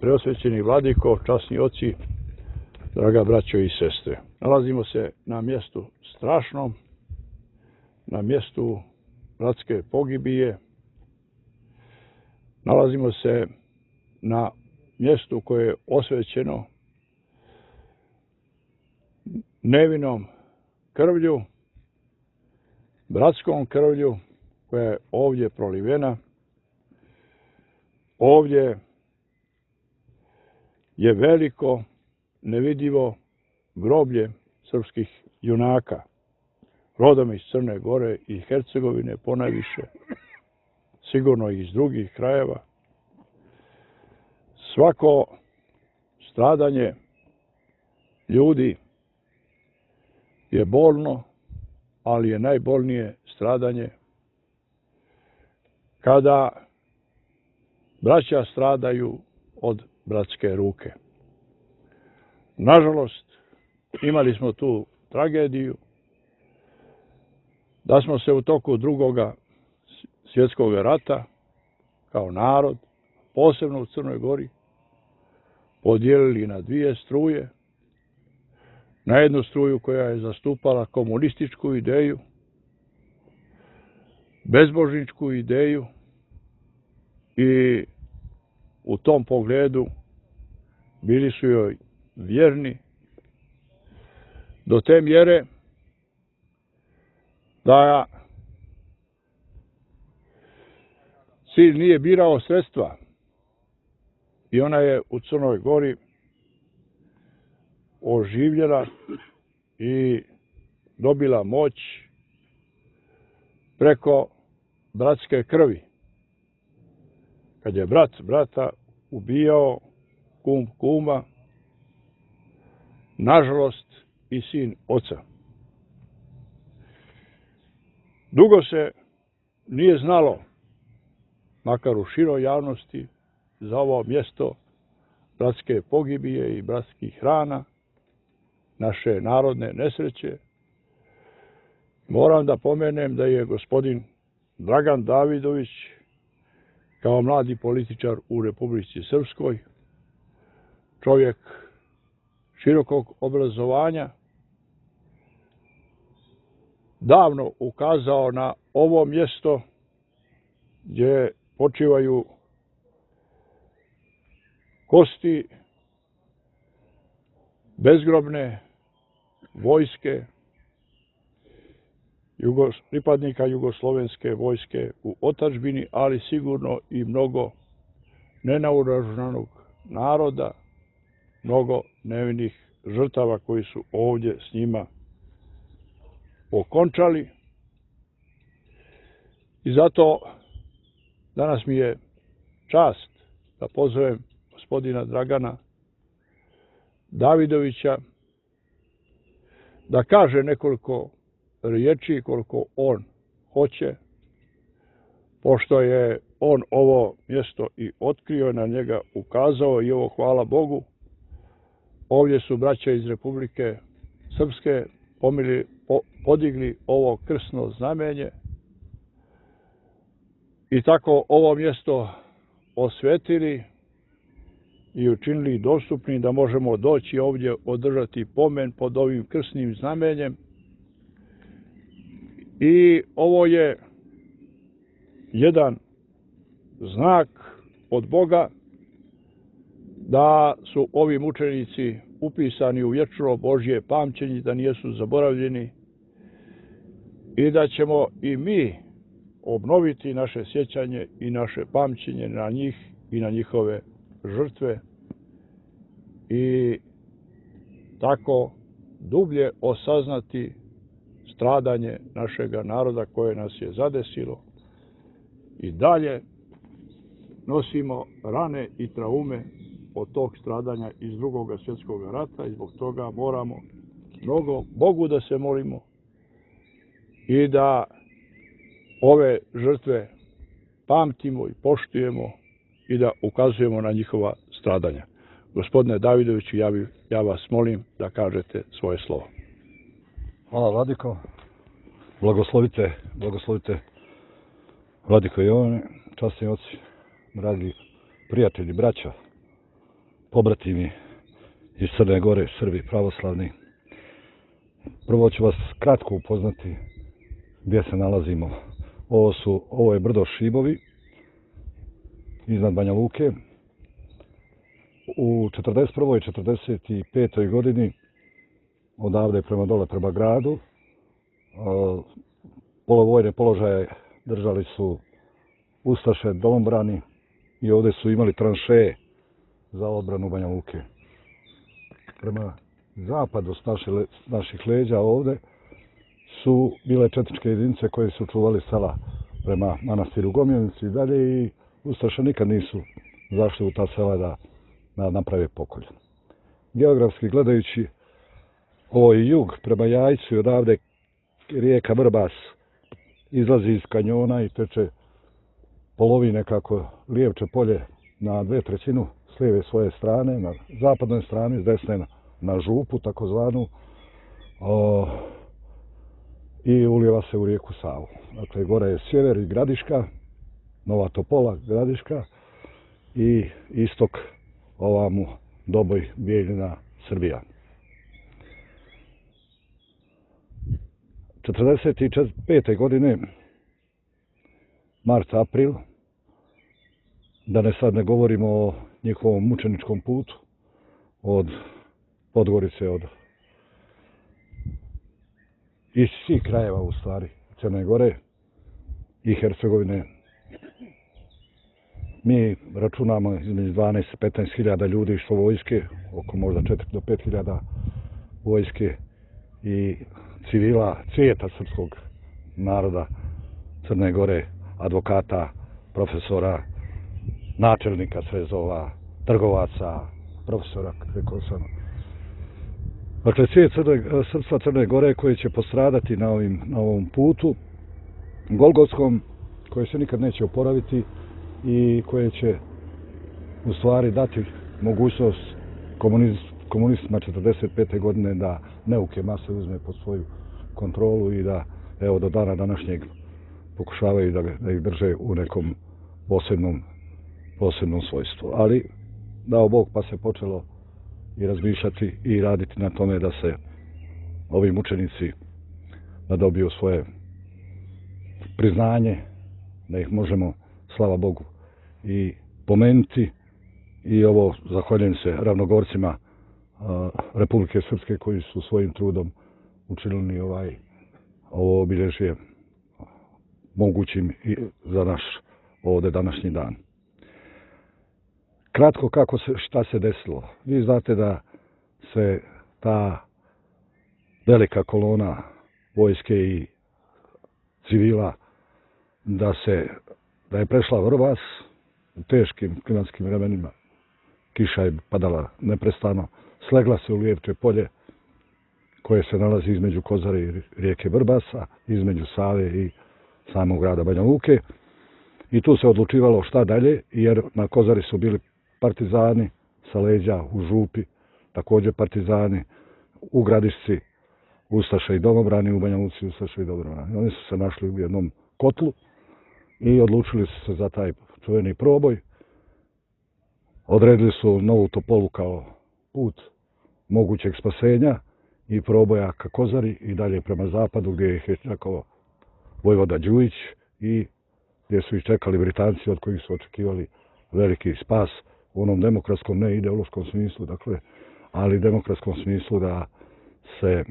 Preosvećeni vladiko, časni oci, draga braćo i sestre. Nalazimo se na mjestu strašnom, na mjestu bratske pogibije. Nalazimo se na mjestu koje je osvećeno nevinom krvlju, bratskom krvlju koja je ovdje prolivena. Ovdje je veliko, nevidljivo groblje srpskih junaka, rodom iz Crne Gore i Hercegovine ponajviše, sigurno i iz drugih krajeva. Svako stradanje ljudi je bolno, ali je najbolnije stradanje kada braća stradaju od bratske ruke. Nažalost, imali smo tu tragediju da smo se u toku Drugoga svjetskog rata kao narod, posebno u Crnoj Gori, podijelili na dvije struje. Na jednu struju koja je zastupala komunističku ideju, bezbožničku ideju i u tom pogledu bili su joj vjerni do te mjere da cilj nije birao sredstva i ona je u Crnoj Gori oživjela i dobila moć preko bratske krvi. Kad je brat brata ubijao, kum kuma, nažalost i sin oca. Dugo se nije znalo, makar u široj javnosti, za ovo mjesto bratske pogibije i bratskih rana, naše narodne nesreće. Moram da pomenem da je gospodin Dragan Davidović, kao mladi političar u Republici Srpskoj, čovjek širokog obrazovanja, davno ukazao na ovo mjesto gdje počivaju kosti bezgrobne vojske, pripadnika jugoslovenske vojske u otadžbini, ali sigurno i mnogo nenaoružanog naroda, mnogo nevinih žrtava koji su ovdje s njima okončali. I zato danas mi je čast da pozovem gospodina Dragana Davidovića da kaže nekoliko riječi koliko on hoće, pošto je on ovo mjesto i otkrio, na njega ukazao i ovo, hvala Bogu, ovdje su braća iz Republike Srpske podigli ovo krsno znamenje i tako ovo mjesto osvetili i učinili dostupnim da možemo doći ovdje održati pomen pod ovim krsnim znamenjem. I ovo je jedan znak od Boga da su ovi mučenici upisani u vječno Božje pamćenje, da nisu zaboravljeni i da ćemo i mi obnoviti naše sjećanje i naše pamćenje na njih i na njihove žrtve i tako dublje osaznati stradanje našega naroda koje nas je zadesilo. I dalje nosimo rane i traume od tog stradanja iz Drugog svjetskog rata i zbog toga moramo mnogo Bogu da se molimo i da ove žrtve pamtimo i poštujemo i da ukazujemo na njihova stradanja. Gospodine Davidoviću, ja vas molim da kažete svoje slovo. Hvala, vladiko. Blagoslovite vladiko Jovane, časni oci, dragi prijatelji, braća. pobratimi iz Crne Gore, Srbi pravoslavni. Prvo ću vas kratko upoznati gdje se nalazimo. Ovo je brdo Šibovi iznad Banja Luke. U 41. i 45. godini odavde prema dole prema gradu polovojne položaje držali su ustaše, domobrani i ovdje su imali tranšeje za odbranu Banja Luke. Prema zapadu s naših leđa ovdje su bile četničke jedinice koje su čuvali sela prema manastiru Gomjanici i dalje i ustaše nikad nisu zašli u ta sela da naprave pokolj. Geografski gledajući, ovo je jug prema Jajcu i odavde rijeka Vrbas izlazi iz kanjona i teče polovi nekako Lijevče polje na 2/3 s lijeve svoje strane, na zapadnoj strani, s desne na župu takozvanu i ulijeva se u rijeku Savu. Dakle, gore je sjever i Gradiška, Nova Topola, Gradiška i istok ovamo Doboj, Bijeljina, Srbija. 45. godine, mart, april, da sad ne govorimo o njihovom mučeničkom putu od Podgorice, iz svih krajeva u stvari Crne Gore i Hercegovine. Mi računamo između 12 i 15 hiljada ljudi što vojske, oko možda 4 do 5 hiljada vojske i civila, cvijeta srpskog naroda Crne Gore, advokata, profesora, načelnika srezova, trgovaca, profesora, rekao sam. Dakle, cvijet srpstva Crne Gore koji će postradati na ovom putu golgotskom, koji se nikad neće oporaviti i koje će u stvari dati mogućnost komunistima 45. godine da neuke mase uzme pod svoju kontrolu i da evo do dana današnjeg pokušavaju da ih drže u nekom posebnom svojstvu. Ali dao Bog pa se počelo i razmišljati i raditi na tome da se ovi mučenici da dobiju svoje priznanje, da ih možemo, slava Bogu, i pomenuti. I ovo zahvaljujem se ravnogorcima Republike Srpske koji su svojim trudom učinili ovo obilježje mogućim i za naš ovdje današnji dan. Kratko šta se desilo. Vi znate da se ta velika kolona vojske i civila da je prešla Vrbas u teškim klimatskim vremenima. Kiša je padala neprestano, slegla se u Lijevče polje koje se nalazi između Kozare i rijeke Vrbasa, između Save i samog grada Banja Luke. I tu se odlučivalo šta dalje, jer na Kozari su bili partizani sa leđa u župi, također partizani u Gradišci, ustaše i domobrani, u Banja Luci ustaše i domobrani. Oni su se našli u jednom kotlu i odlučili su se za taj čuveni proboj. Odredili su Novu Topolu kao put mogućeg spasenja i proboja ka Kozari i dalje prema zapadu gdje ih je čekao vojvoda Đujić i gdje su ih čekali Britanci od kojih su očekivali veliki spas u onom demokratskom, ne ideološkom smislu, dakle, ali demokratskom smislu da se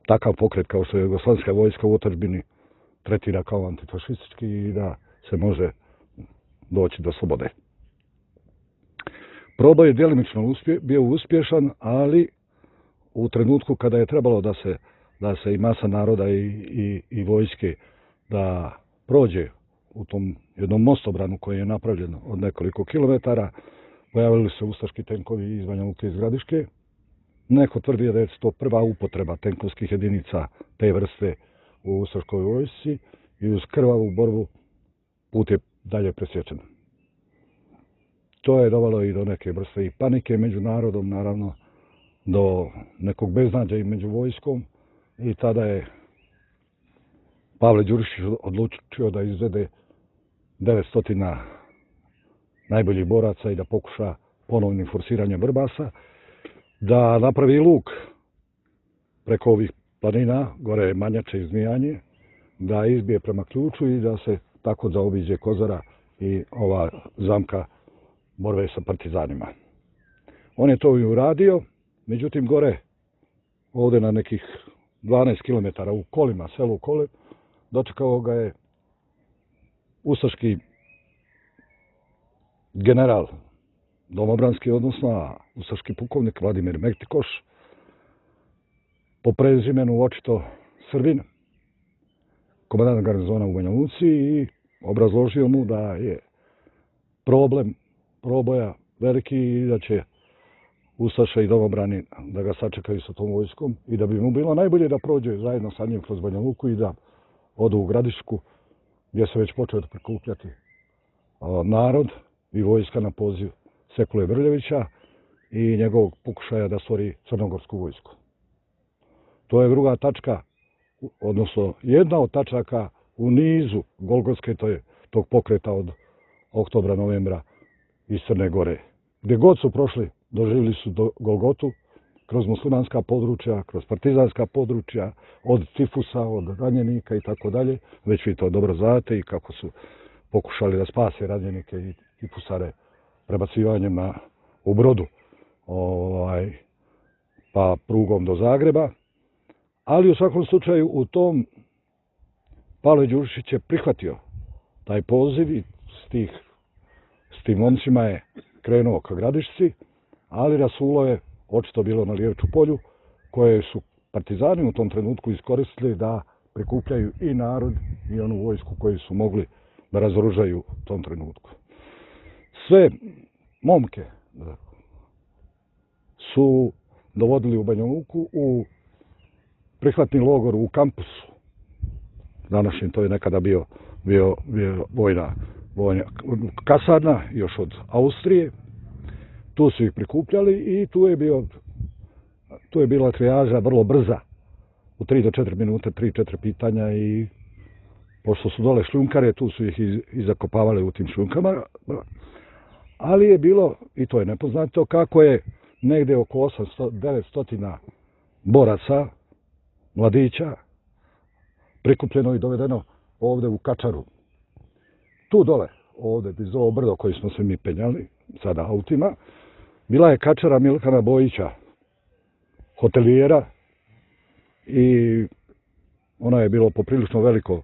takav pokret kao što je Jugoslavijska vojska u otadžbini tretira kao antifašistički i da se može doći do slobode. Proboj je djelimično bio uspješan, ali u trenutku kada je trebalo da se i masa naroda i vojske da prođe u tom jednom mostobranu koji je napravljen od nekoliko kilometara, pojavili se ustaški tenkovi iz Banja Luke iz Gradiške. Neko tvrdi da je to prva upotreba tenkovskih jedinica te vrste u ustaškoj vojsci i uz krvavu borbu put je dalje presječen. To je dovelo i do neke vrste i panike među narodom, naravno, do nekog beznađa i među vojskom i tada je Pavle Đurišić odlučio da izvede 900 najboljih boraca i da pokuša ponovnim forsiranjem Vrbasa, da napravi luk preko ovih planina, gore Manjače i Zmijanje, da izbije prema Ključu i da se tako zaobiđe Kozara i ova zamka borbe sa partizanima. On je to i uradio, međutim gore, ovdje na nekih 12 km u Kolima, selu Kole, dočekao ga je ustaški general domobranski, odnosno ustaški pukovnik Vladimir Mektikoš, po prezimenu očito Srbin, komandant garnizona u Banja Luci, i obrazložio mu da je problem proboja veliki i da će ustaše i domobrani da ga sačekaju sa tom vojskom i da bi mu bilo najbolje da prođe zajedno sa njim kroz Banja Luku i da odu u Gradišku, gdje se već počeo da prikupljati narod i vojska na poziv Sekule Brljevića i njegovog pokušaja da stvori crnogorsku vojsku. To je druga tačka, odnosno jedna od tačaka u nizu Golgotske, tog pokreta od oktobra, novembra iz Crne Gore. Gdje god su prošli, doživjeli su Golgotu, kroz muslimanska područja, kroz partizanska područja, od tifusa, od ranjenika i tako dalje. Već vi to dobro znate i kako su pokušali da spase ranjenike i tifusare prebacivanjem u brodu, pa prugom do Zagreba. Ali u svakom slučaju u tom Pavle Đurišić je prihvatio taj poziv i s tim momcima je krenuo ka Gradišci, ali rasulo je očito bilo na Lijevču polju, koje su partizani u tom trenutku iskoristili da prikupljaju i narod i onu vojsku koju su mogli da razoružaju u tom trenutku. Sve momke su dovodili u Banja Luku u prihvatni logor u kampusu. Današnji to je nekada bio vojna kasarna, još od Austrije. Tu su ih prikupljali i tu je bila trijaža vrlo brza. U 3 do 4 minute, 3-4 pitanja, i pošto su dole šljunkare, tu su ih i zakopavali u tim šljunkama. Ali je bilo, i to je nepoznato, kako je negde oko 800-900 boraca, mladića, prikupljeno i dovedeno ovde u Kačaru. Tu dole, ovde, iz ovo brdo koji smo se mi penjali, sada autima, bila je Kačara Milkana Bojića, hotelijera, i ona je bilo poprilično veliko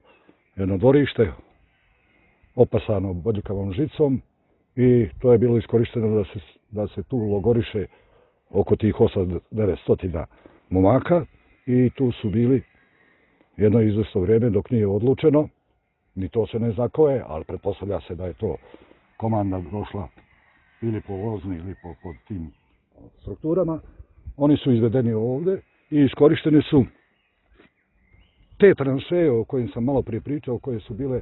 jedno dvorište, opasano bodljikavom žicom, i to je bilo iskorišteno da se tu logoriše oko tih 800-900 momaka, i tu su bili jedno izvesno vrijeme dok nije odlučeno, ni to se ne zna ko je, ali pretpostavlja se da je to komanda došla ili po vozni ili po tim strukturama. Oni su izvedeni ovde i iskorišteni su te tranšeje o kojim sam malo prije pričao, koje su bile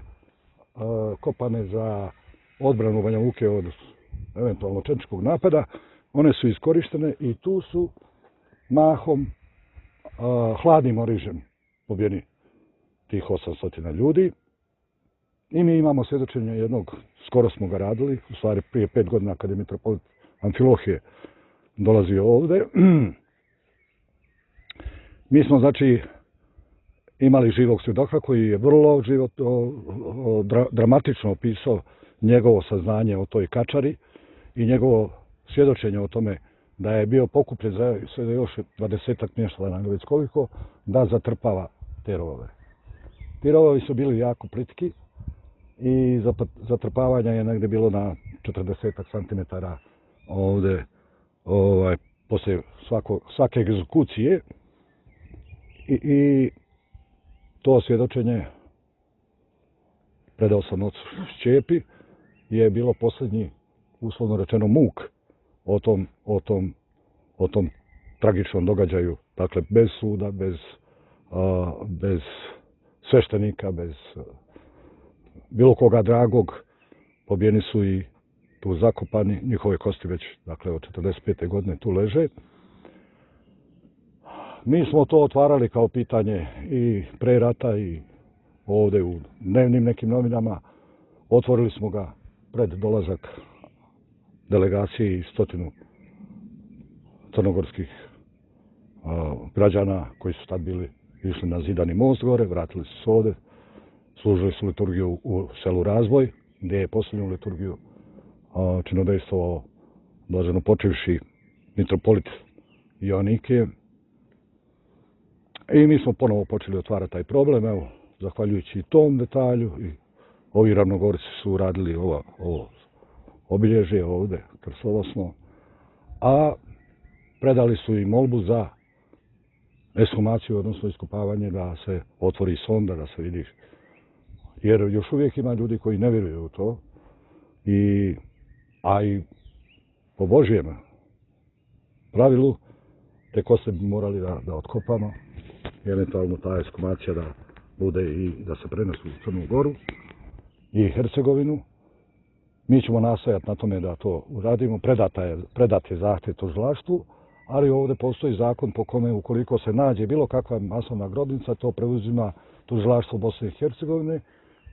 kopane za odbranu Banja Luke od eventualno četničkog napada. One su iskorištene i tu su mahom hladnim orižem pobijeni tih 800 ljudi. I mi imamo svjedočenje jednog, skoro smo ga radili, u stvari prije 5 godina kad je mitropolit Amfilohije dolazio ovde. Mi smo, znači, imali živog svjedoka koji je vrlo dramatično opisao njegovo saznanje o toj Kačari i njegovo svjedočenje o tome da je bio pokupljen za sve još 20-ak mještana, već koliko, da zatrpava te rovove. Ti rovovi su bili jako plitki i zatrpavanja je negdje bilo na 40 centimetara ovde, poslije svake egzekucije, i to svjedočenje predao sam ocu Šćepi, je bilo posljednji, uslovno rečeno, muk o tom tragičnom događaju. Dakle, bez suda, bez sveštenika, bez bilo koga dragog, pobijeni su i tu zakopani, njihove kosti već, dakle, od 45. godine tu leže. Mi smo to otvarali kao pitanje i pre rata i ovde u dnevnim nekim novinama. Otvorili smo ga pred dolazak delegacije i 100 crnogorskih građana koji su tad bili išli na Zidani most gore, vratili su se ovde, služili su liturgiju u selu Razvoj, gdje je posljednju liturgiju činodejstvovao blaženo počivši mitropolit Joannikije. I mi smo ponovo počeli otvarati taj problem, evo, zahvaljujući tom detalju, i ovi Ravnogorci su uradili ovo obilježje ovde, krstolosno, a predali su i molbu za ekshumaciju, odnosno iskopavanje, da se otvori sonda, da se vidi. Jer još uvijek ima ljudi koji ne vjeruju u to, a i po Božjem pravilu te koste bi morali da otkopamo, eventualno ta ekshumacija da bude i da se prenesu u Crnu Goru i Hercegovinu. Mi ćemo nastojati na tome da to uradimo, predat je zahtjev tužilaštvu, ali ovdje postoji zakon po kome ukoliko se nađe bilo kakva masovna grobnica, to preuzima tužilaštvo Bosne i Hercegovine,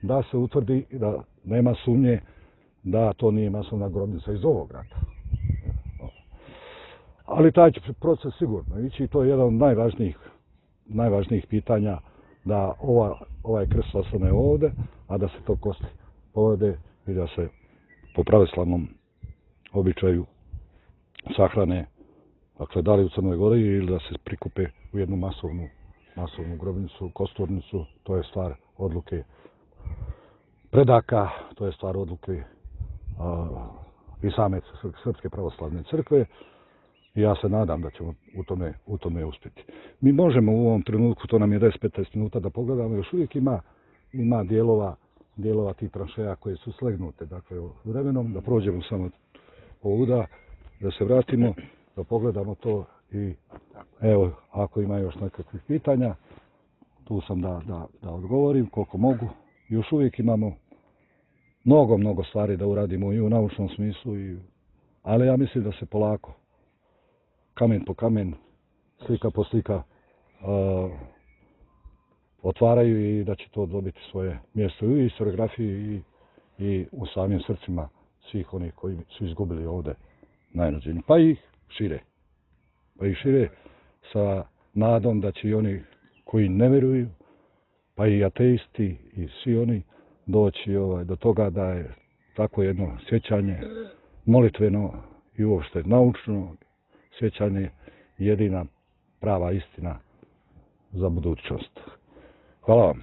da se utvrdi da nema sumnje da to nije masovna grobnica iz ovog rata. Ali taj će proces sigurno ići i to je jedan od najvažnijih pitanja, da ovaj krst ostane ovdje, a da se to kosti povede i da se po pravoslavnom običaju sahrane, dakle, da li u Crnoj Gori ili da se prikupe u jednu masovnu grobnicu, kosturnicu. To je stvar odluke predaka, to je stvar odluke i same Srpske pravoslavne crkve. I ja se nadam da ćemo u tome uspjeti. Mi možemo u ovom trenutku, to nam je 10-15 minuta da pogledamo, još uvijek ima dijelova tih tranšeja koje su slegnute. Dakle, vremenom da prođemo samo ovuda, da se vratimo, da pogledamo to i evo, ako ima još nekakvih pitanja, tu sam da odgovorim koliko mogu. Još uvijek imamo mnogo stvari da uradimo i u naučnom smislu, ali ja mislim da se polako, kamen po kamen, slika po slika otvaraju i da će to dobiti svoje mjesto i u historiografiji i u samim srcima svih onih koji su izgubili ovdje najrođenje. Pa i šire sa nadom da će i oni koji ne vjeruju, pa i ateisti i svi oni doći do toga da je tako jedno sjećanje molitveno i uopšte naučno sjećanje jedina prava istina za budućnost. Hvala vam.